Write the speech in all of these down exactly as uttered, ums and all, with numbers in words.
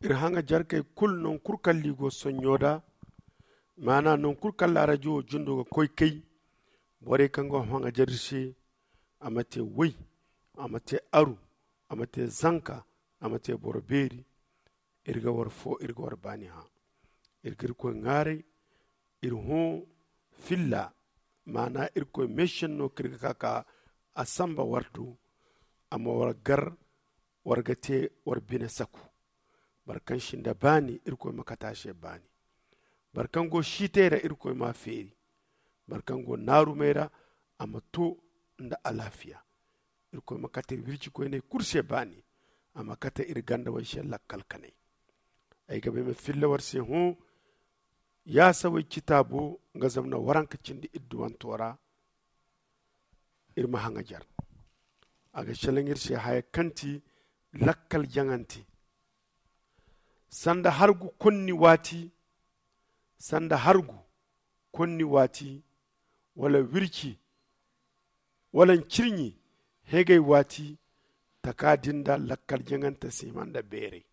Iri haŋajarkey kulu non kulu kaŋ liigo sonɲo da, maana non kulu kaŋ laarajo wo jundo ga koy kay. Borey kaŋ go haŋajar iri se, a ma te way, a ma te aru, a ma te zanka, a ma te boro beeri. Iri ga war fo, iri ga war baani hã. Iri ga irkoy ŋaaray. Iri hõ filla, maana irkoy meesenno kaŋ iri ga ka ka a samba war do. A ma war gar, war ga te war bine saku. Boro kaŋ si nda baani, irkoy ma kate a se baani. Boro kaŋ go siitay ra, irkoy m'a feeri. Boro kaŋ go naarumey ra, a ma to nda alaafiya. Irkoy ma kate iri wircikoyney kulu se baani. A ma kate iri gandawey se lakkal kanay. Ay ga ba ay ma filla war se hõ. Yaasawey citaabo nga zamna waranka cindi idduwanto ra. Iri ma haŋajar. A ga selaŋ iri se haya kaŋ ti lakkal jaŋante. Sanda hargu konni waati, sanda hargu konni waati, wala wirci, wala ncirɲi hegay waati. Taka din da lakkal jaŋante si hima nda beeray.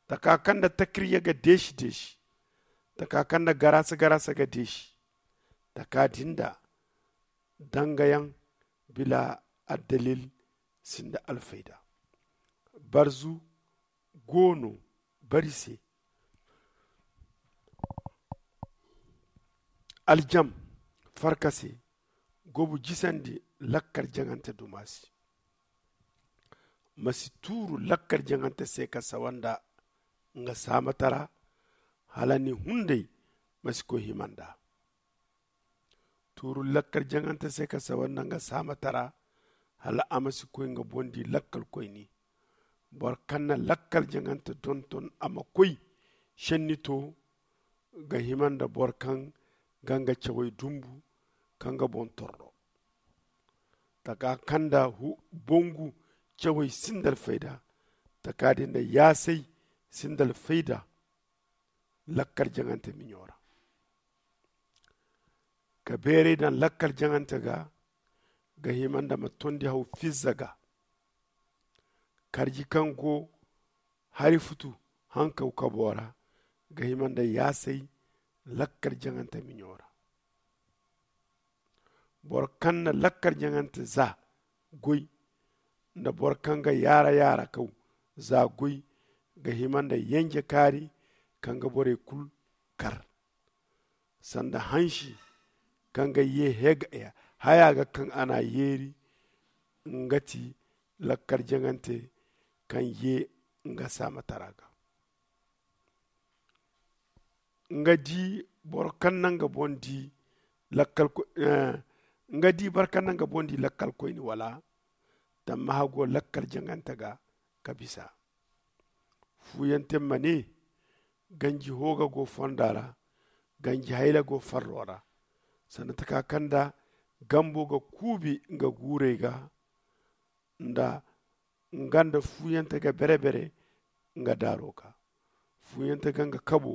Taka kaŋ nda takirya ga deesi deesi, taka kaŋ nda garaasa garaasa ga deesi. Taka din da dangayaŋ bila addalil sinda alfayda. Barzu goono bari se. Aljam farka se. Gobu jisandi lakkal jaŋante duma se. Ma si tuuru lakkal jaŋante se ka sawa nda nga saamatara. Hala ni hunday ma si koy hima nda. Tuuru lakkal jaŋante se ka sawa nda nga saamatara. Hala a ma si koy nga boŋ di lakkal koyni. Boro kaŋ na lakkal jaŋante donton a ma koy senni to ga hima nda boro kaŋ ga nga cawey dumbu ka nga boŋ torro. Taka kaŋ nda bongu cawey sinda alfayda. Taka din da yaasay sinda alfayda. Lakkal jaŋante miɲo ra ka beeray daŋ lakkal jaŋante ga. Ga hima nda ma tondi haw fizza ga. Karji kaŋ go hari futu hankaw kabo ra. Ga hima nda yaasay lakkal jaŋante miɲo ra. Boro kaŋ na lakkal jaŋante za goy nda boro kaŋ ga yaara yaara kaw za goy ga hima nda yenje kaari kaŋ ga borey kulu kar. Sanda hansi kaŋ ga ye haya ga kaŋ a n'a yeeri. Nga ti lakkal jaŋante kaŋ ye nga saamatara ga. Nga di boro kaŋ na nga boŋ di lakkal koy nga di boro kaŋ na nga boŋ di lakkal koyni wala tammaha go lakkal jaŋante ga ka bisa. Fuuyante ma ne ganji hooga go fonda ra. Ganji hayla go farro ra. Sanda taka kaŋ nda gambo ga kuubi nga guurey ga nda nga nda fuuyante ga bere-bere nga daaro ga. Fuuyante ga nga kabo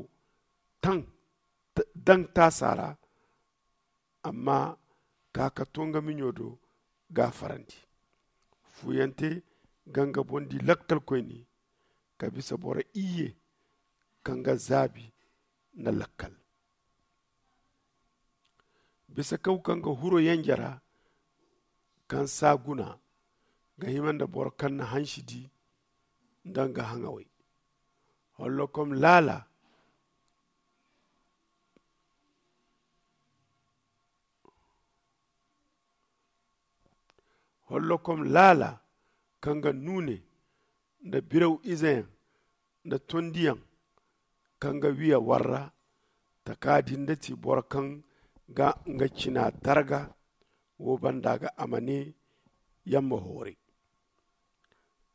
taŋ daŋ taasa ra. Amma ka ka to nga miɲo do gaafarandi. Fuuyante ga nga boŋ di lakkal koyni ka bisa boro iyye kaŋ ga zaabi nda lakkal. Bisa kaw kaŋ ga huro yanje ra kaŋ saa guna ga hima nda boro kaŋ na hansi di nda nga haŋawey. Hollokom laala hollokom laala kaŋ ga nuune nda biraw izeyaŋ nda tondiyaŋ kaŋ ga wiya warra. Taka din da ti boro kaŋ ga nga cina darga wo banda ga a ma ne yamma hooray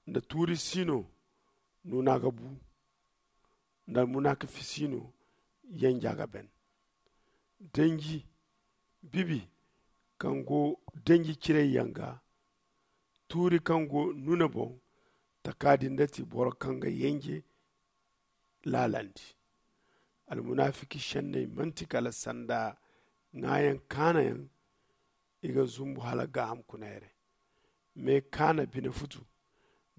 nda tuuri siino nuuna ga bu nda munaakafisiino yanja ga ben. Danji bibi kaŋ go danji ciray yanga tuuri kaŋ go nuna boŋ. Taka din da ti boro kaŋ ga yanje laalandi. Almunaafiki senney manti kala sanda ŋaayaŋ kaanayaŋ. I ga zumbu hala gaaham kuna yare me kaana bine futu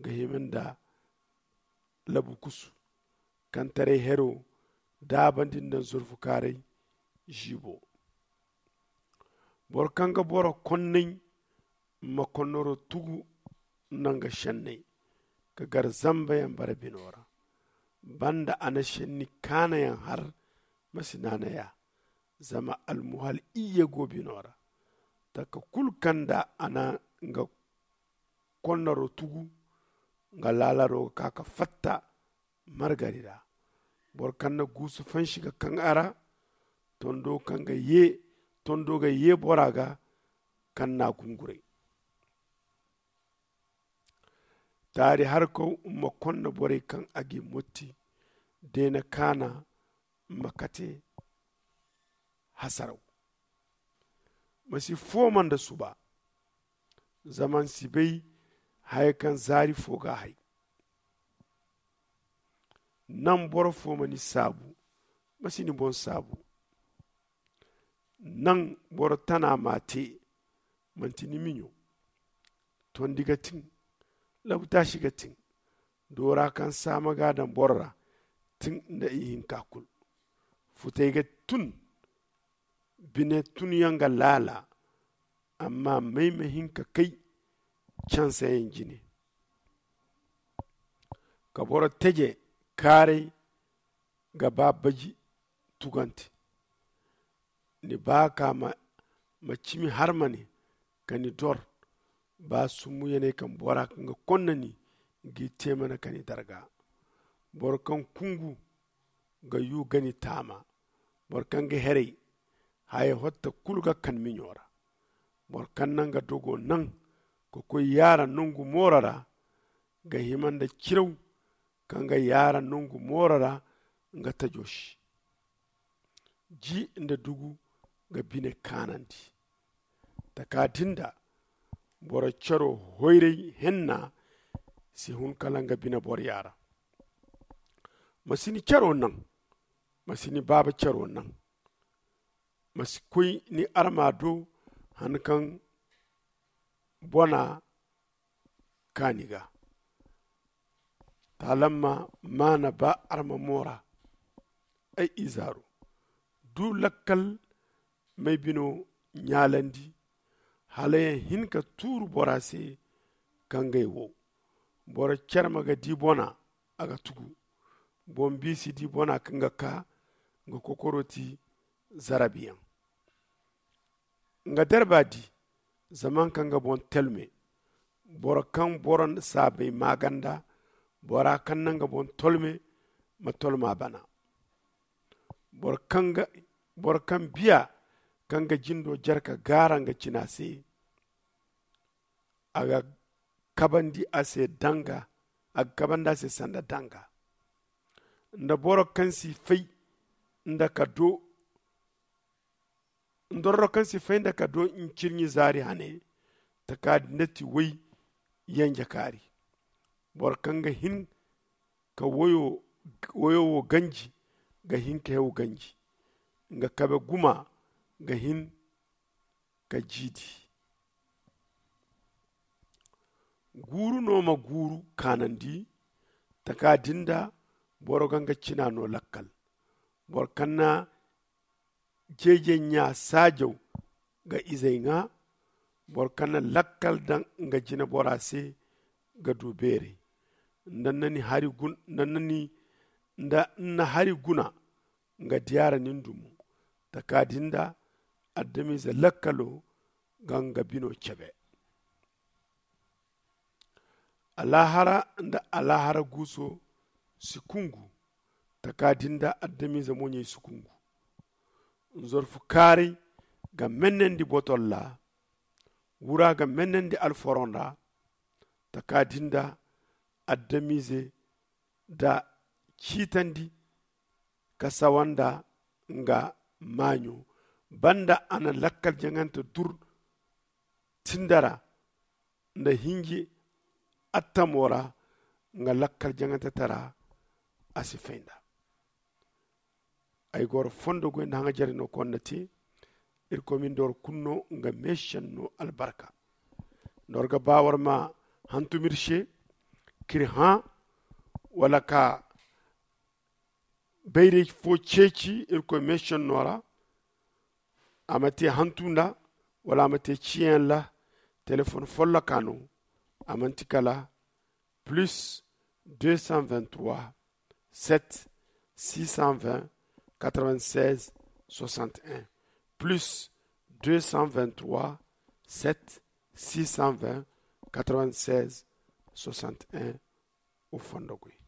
ga hima nda labu kusu kaŋ taray hero daabandi nda nzurfu kaaray ziibo. Boro kaŋ ga boro konnay ma konnaro tugu nda nga senney ka gar zambayaŋ bara bino ra. Banda a na senni kaanayaŋ har ma si naanay a. Zama almuhal iyye go bino ra. Taka kulu kaŋ nda a na nga konnaro tugu nga laalaro ga ka ka fatta margari ra. Boro kaŋ na guusu fansi ga kaŋ a ra tondo kaŋ ga ye tondo ga ye bora ga kaŋ na gunguray. Taari harkaw ma konna borey kaŋ a ga i motti deena kaana ma kate hasaraw. Ma si fooma nda suba. Zama ni si bay haya kaŋ zaari fo ga a hay. Naŋ boro fo ma ni saabu. Ma si ni boŋ saabu. Naŋ boro tana ma a te. Manti ni miɲo. Tondi ga tin. Labutaasi ga tin. Doora kaŋ saama ga a daŋ boro ra. Tin nda ihinka kulu. Futay ga tun. Bine tunyaŋ ga laala. Amma may ma hin ka kay cansayaŋ jine. Ka boro teje kaaray ga ba baji tugante. Ni ba ka ma cimi harmane ka ni dor. Ba summuyaney kaŋ bora kaŋ ga konna ni g'i te mana ka ni darga. Boro kaŋ kungu ga yu ga ni taama. Boro kaŋ ga heray haya hotta kulu ga kan miɲo ra. Boro kaŋ na nga dogo naŋ ka koy yaara nongu mooro ra ga hima nda ciraw kaŋ ga yaara nongu mooro ra nga tajo se. Ji nda dugu ga bine kaanandi. Taka din da boro caro hoyray henna si hun kala nga bine boro yaara. Ma si ni caro naŋ. Ma si ni baaba caro naŋ. Ma si koy ni arma do han kaŋ bona kaani ga. Taalamma maana ba arma moora. Ay izaaru du lakkal may bino ɲaalandi. Hala yaŋ hin ka tuuru bora se kaŋ gay wo. Boro carma ga di bona a ga tugu. Boŋ biisi di bona kaŋ ga ka nga kokoro ti zarabiyaŋ. Nga darba di zaman kaŋ ga boŋ talme. Boro kaŋ boro saabay maaganda bora kaŋ na nga boŋ tolme ma tolma bana. Boro kaŋ biya kaŋ ga jindo jare ka gaara nga cina se. A ga kabandi a se danga a ga kabandi a se sanda danga. Nda boro kaŋ si fay nda ka do ndorro kaŋ si fay nda ka do ncirɲi zaari hane. Taka din da ti way yanje kaari. Boro kaŋ ga hin ka wayo wo ganji ga hin ka hew ganji. Nga kabe guma ga hin ka jiidi. Guuru no ma guuru kaanandi. Taka din da boro ga nga cina no lakkal. Boro kaŋ na jeejey ɲa saajaw ga izey ŋwa. Boro kaŋ na lakkal daŋ nga jine bora se ga du beeray. Nda ni na hari guna nga diyaara nin dumo. Taka din da adamize lakkalo ga nga bino cebe. Alaahara nda alaahara guuso si kungu. Taka din da adamize moɲey si kungu. Nzorfu kaaray ga mennandi botol ra. Wura ga mennandi alforon ra. Taka din da adamize da ciitandi ka sawa nda nga maaɲo. Banda a na lakkal jaŋante dur tindara nda hinji attamo ra. Nga lakkal jaŋante tara a si fay nda. Ay goro fondo goy nda haŋa jare no konna te. Irkoy min doro kunno nga meeshen no albarka. Nor ga ba war ma hantum ir se. k'iri hã wala ka bayray fo ceeci irkoy meesenno ra, a ma te hantu nda wala a ma te ciyaŋ ra. Telefon folloka no, a manti kala plus deux cent vingt trois, sept six cent vingt, quatre vingt seize, soixante un, plus deux cent vingt trois, sept six cent vingt, quatre vingt seize, soixante un. O fondo goy.